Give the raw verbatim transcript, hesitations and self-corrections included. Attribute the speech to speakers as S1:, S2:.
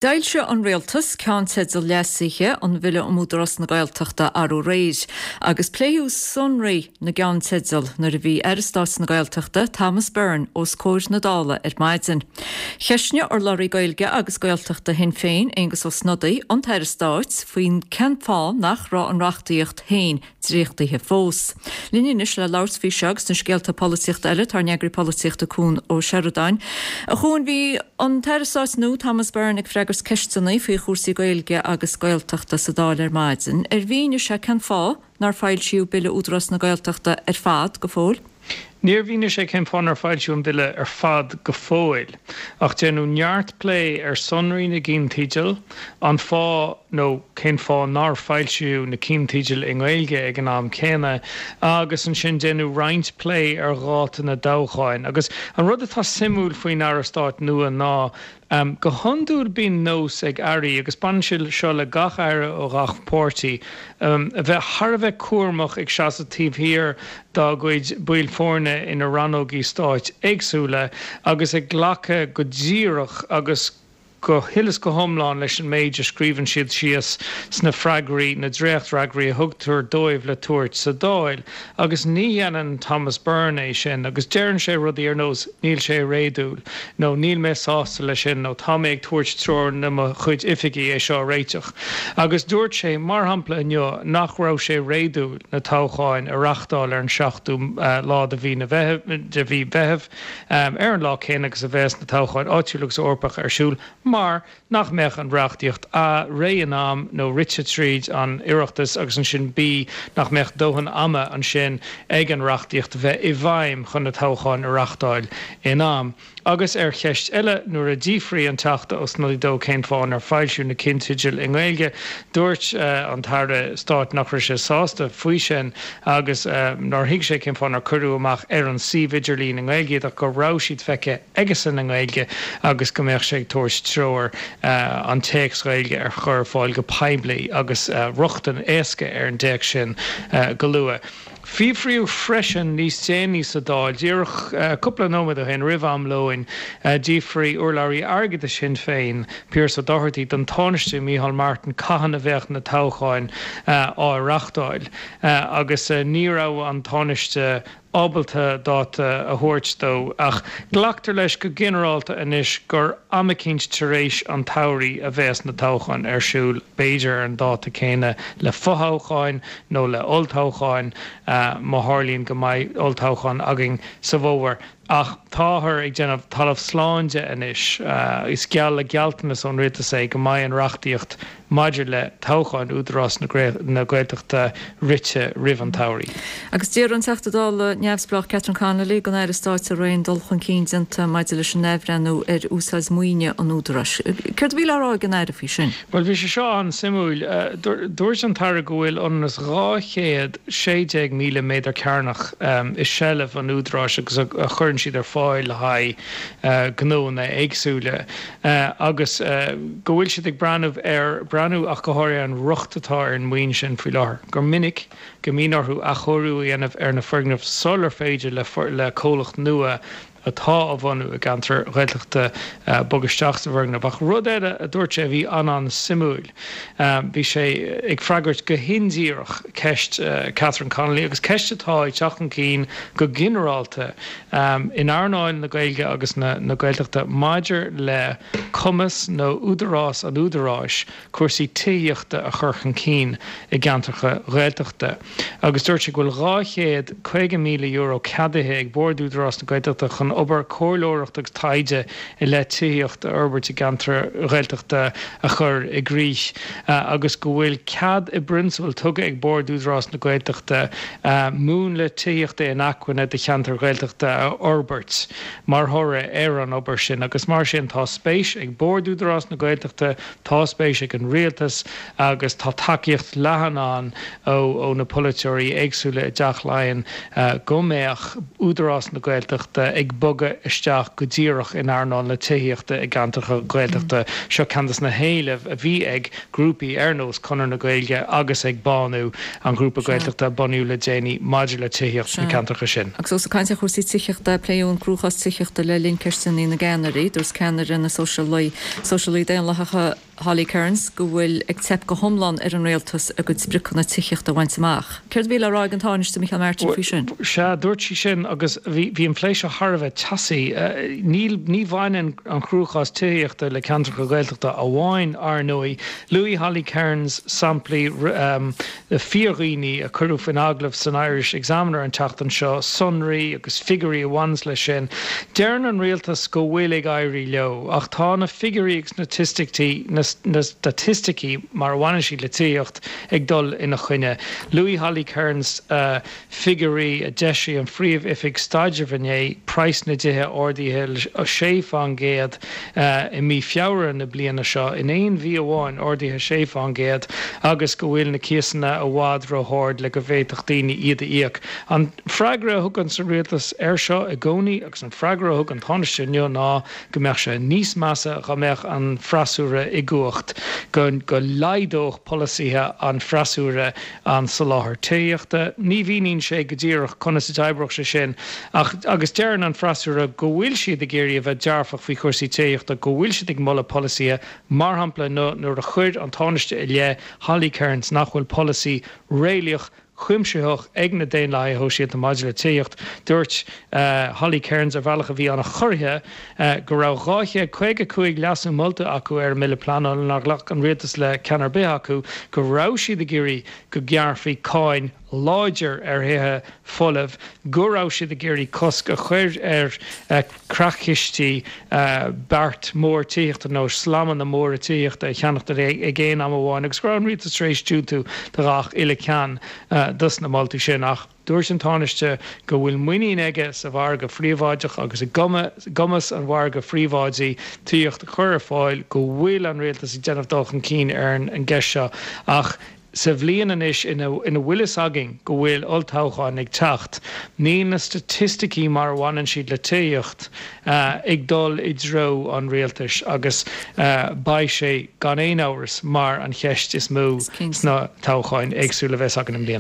S1: D'fhoilsigh an Rialtas ceannteidil leasaithe an Bhille um Údarás na Gaeltachta arú aréir, agus pléadh sonraí na gceannteideal nuair a bhí Aire Stáit na Gaeltachta Thomas Byrne os comhair na Dála ar maidin. Cheistnigh urlabhraí Gaeilge agus Gaeltachta Shinn Féin, Aengus Ó Snodaigh, an tAire Stáit faoin cén fáth nach raibh an reachtaíocht féin dréachtaithe fós. Linn anois le labhairt faoi seo agus na scéalta polaitíochta eile tá ár n-eagraí polaitíochta Cuan Ó Seireadáin. A Chuain, bhí an tAire Stáit nua Thomas Byrne ag freagairt ceisteanna faoi chúrsaí Gaeilge agus Gaeltachta sa Dáil ar maidin. Ar mhínigh sé cén fáth nár foilsíodh Bille Údarás na Gaeltachta ar fad go fóill?
S2: Níor mhínigh sé cén fáth nár foilsíodh an bille ar fad go fóill, ach déanadh neart plé ar sonraí na gceannteideal, an fáth nó cén fáth nár foilsíodh na ceannteidil i nGaeilge ag an am céanna, agus ansin déanadh roinnt plé ar dháta na dtoghcháin. Agus an rud atá suimiúil faoin Aire Stáit nua ná go hiondúil bíonn nós ag airí, agus baineann sé seo le gach aire ó gach páirtí, a bheith thar a bheith cúramach ag seasamh taobh thiar dá gcuid baill foirne ina rannógaí stáit éagsúla agus ag glacadh go díreach agus go huile is go hiomlán leis an méid a scríobhann siad síos sna freagraí, na dréachtfhreagraí a thugtar dóibh le tabhairt sa Dáil. Agus ní dhéanann Thomas Byrne é sin agus deireann sé rudaí ar nós 'níl sé réadúil' nó 'níl mé sásta leis sin' nó 'tá mé ag tabhairt treoir do mo chuid oifigí é seo a réiteach'. Agus dúirt sé, mar shampla inniu, nach raibh sé réadúil na toghcháin a reáchtáil ar an seachtú lá de mhí de mhí Mheithimh, ar an lá céanna agus a bheas na toghcháin áitiúil agus Eorpacha ar siúl, mar nach mbeadh an reachtaíocht A, réidh in am nó rite tríd an Oireachtas agus ansin B, nach mbeadh dóthain ama ansin ag an reachtaíocht a bheith i bhfeidhm chun na toghcháin a reáchtáil in am. Agus ar cheist eile, nuair a d'fhiafraigh an Teachta Ó Snodaigh dó cén fáth nár foilsíodh na ceannteidil i nGaeilge, dúirt an tAire Stáit nach raibh sé sásta faoi sin agus nár thuig sé cén fáth nár cuireadh amach ar an suíomh idirlín i nGaeilge iad ach go raibh siad feicthe aigesan i nGaeilge agus go mbeadh sé ag tabhairt treoir an téacs Gaeilge a chur ar fáil go poiblí agus rochtain éasca ar an dtéacs sin go luath. Fiafraíodh freisin níos déanaí sa Dáil, díreach cúpla nóiméad ó shin, roimh am lóin, d'fhiafraigh urlabhraí airgeadais Shinn Féin, Pearse Doherty, den Tánaiste Micheál Martin cathain a bheadh na toghcháin á reáchtáil agus ní raibh an Tánaiste ábalta dáta a thabhairt dó, ach glactar leis go ginearálta anois gur am eicínt tar éis an tsamhraidh a bheas na toghcháin ar siúl, b'fhéidir ar an dáta céanna le fothoghcháin nó le olltoghcháin, má tharlaíonn go mbeidh olltoghchán againn sa bhfómhar. Ach táthar ag déanamh talamh slán de anois, is geall le gealltanas ón rialtas é go mbeidh an reachtaíocht maidir le toghcháin Údarás na Gaeltachta rite roimh an tsamhraidh.
S1: Agus d'iarr an Teachta Dála neamhspleách Catherine Connolly den Aire Stáit an raibh aon dul chun cinn déanta maidir leis an athbhreithniú ar úsáid maoine an Údaráis. Céard a bhí le rá ag an Aire faoi sin?
S2: Bhuel, bhí sé seo an-suimiúil. Dúirt an tAire go bhfuil ionann is dhá chéad sé déag míle méadar cearnach i seilbh an Údaráis agus a chuireann siad ar fáil le haghaidh gnóanna éagsúla agus go bhfuil siad ag breathnú ar, breathnú ach go háirithe ar an riocht atá ar an maoin sin faoi láthair, gur minic go mbíonn orthu athchóiriú a dhéanamh ar na foirgnimh sular féidir le comhlacht nua atá á bhunú i gceantar Ghaeltachta bogadh isteach sa bhfoirgneamh. Ach rud eile a dúirt sé a bhí an-an-suimiúil, bhí sé ag freagairt go hindíreach ceist Catherine Connolly, agus ceist atá ag teacht chun cinn go ginearálta in earnáil na Gaeilge agus na Gaeltachta maidir le cumas nó údarás an Údaráis cúrsaí tithíochta a chur chun cinn i gceantracha Ghaeltachta agus dúirt sé go bhfuil dhá chéad caoga míle euro ceadaithe ag Bord Údarás na Gaeltachta chun obair comhairleoireachta agus taighde i leith tithíocht a fhorbairt i gceantair Ghaeltachta a chur i gcrích agus go bhfuil cead i bprionsabal tugtha ag Bord Údarás na Gaeltachta múnla tithíochta inacmhainne do cheantair Ghaeltachta a fhorbairt mar thoradh ar an obair sin agus mar sin tá spéis ag Bord Údarás na Gaeltachta, tá spéis ag an Rialtas agus tá tacaíocht leathan ann ó na polaiteoirí éagsúla i dTeach Laighean go mbeadh Údarás na Gaeltachta ag bogadh isteach go díreach in earnáil na tithíochta i gceantracha Gaeltachta. Seo ceann de na héilimh a bhí ag grúpaí ar nós Conradh na Gaeilge agus ag Bánú, an grúpa Gaeltachta a bunaíodh le déanaí maidir le tithíocht sna ceantracha sin.
S1: Agus ós ag caint ar chúrsaí tithíochta, pléadh an cruachás tithíochta le linn ceisteanna na gceannairí. Dúirt ceannaire na Sóisialaí Daonlathacha Holly Cairns go bhfuil ag teip go hiomlán ar an rialtas a gcuid spriocanna tithíochta a bhaint amach. Céard a bhí le rá ag an Tánaiste Micheál Martin faoi sin?
S2: Sea, dúirt sí sin agus bhí bhí an plé seo thar a bheith teasaí. Níl ní bhaineann an cruachás tithíochta le ceantracha Gaeltachta amháin ar ndóigh. Luaigh Holly Cairns samplaí um, fíordhaoine a cuireadh faoin agallamh san Irish Examiner an tseachtain seo, sonraí agus figiúirí a bhaineann leis sin. Deireann an rialtas go bhfuil ag éirí leo, ach tá na figiúirí agus na staitisticí na na staitisticí mar a bhaineann siad le tithíocht ag dul ina choinne. Luaigh Holly Cairns uh, figiúirí a d'eisigh an Phríomh-Oifig Staidrimh inné praghas na dtithe ardaithe sé faoin gcéad uh, i mí Feabhra na bliana seo in aon mhí amháin ardaithe sé faoin gcéad agus go bhfuil na cíosanna i bhfad róard le go bhféadfadh daoine iad a íoc. An freagra a thugann an rialtas air seo i gcónaí agus an freagra a thug an Tánaiste inniu ná go mbeadh sé níos measa dá mbeadh an freasúra i gcumhacht go go laghdódh polasaithe an freasúra an soláthar tithíochta. Ní mhíníonn sé go díreach conas a d'oibreodh sé sin ach agus deireann an freasúra go bhfuil siad ag iarraidh a bheith dearfach faoi chúrsaí tithíochta go bhfuil siad ag moladh polasaithe mar shampla nuair a chuir an Tánaiste i leith Holly Cairns nach bhfuil polasaí réalaíoch cuimsitheach ag na Daonlathaithe Sóisialta maidir le tithíocht. Dúirt uh, Holly Cairns ar bhealach a bhí an-chorraithe uh, go raibh dhá chéad caoga cúig leasú molta acu ar an mbille pleanála nár ghlac an rialtas le ceann ar bith acu go raibh siad ag iarraidh go ngearrfaí cáin láidir ar thithe folamh, go raibh siad ag iarraidh cosc a chur ar uh, creachchistí uh, beart mór tithíochta nó slamanna móra tithíochta a cheannacht ag aon am amháin agus go raibh an rialtas tar éis diúltú do gach uile cheann uh, dos na moltaí sin ach dúirt an Tánaiste go bhfuil muinín aige sa mhargadh príobháideach agus i gcumas an mhargaidh phríobháidigh tithíocht a chur ar fáil go bhfuil an rialtas ag déanamh dul chun cinn ar an gceist seo ach sa bhliain anois ina ina bhfuil fhios againn go bhfuil olltoghchán ag teacht, níl na staitisticí mar a bhaineann siad le tithíocht uh, ag dul i dtreo an rialtais agus uh, beidh sé gan aon amhras mar an cheist is mó sna toghcháin éagsúla a bheas againn i mbliana.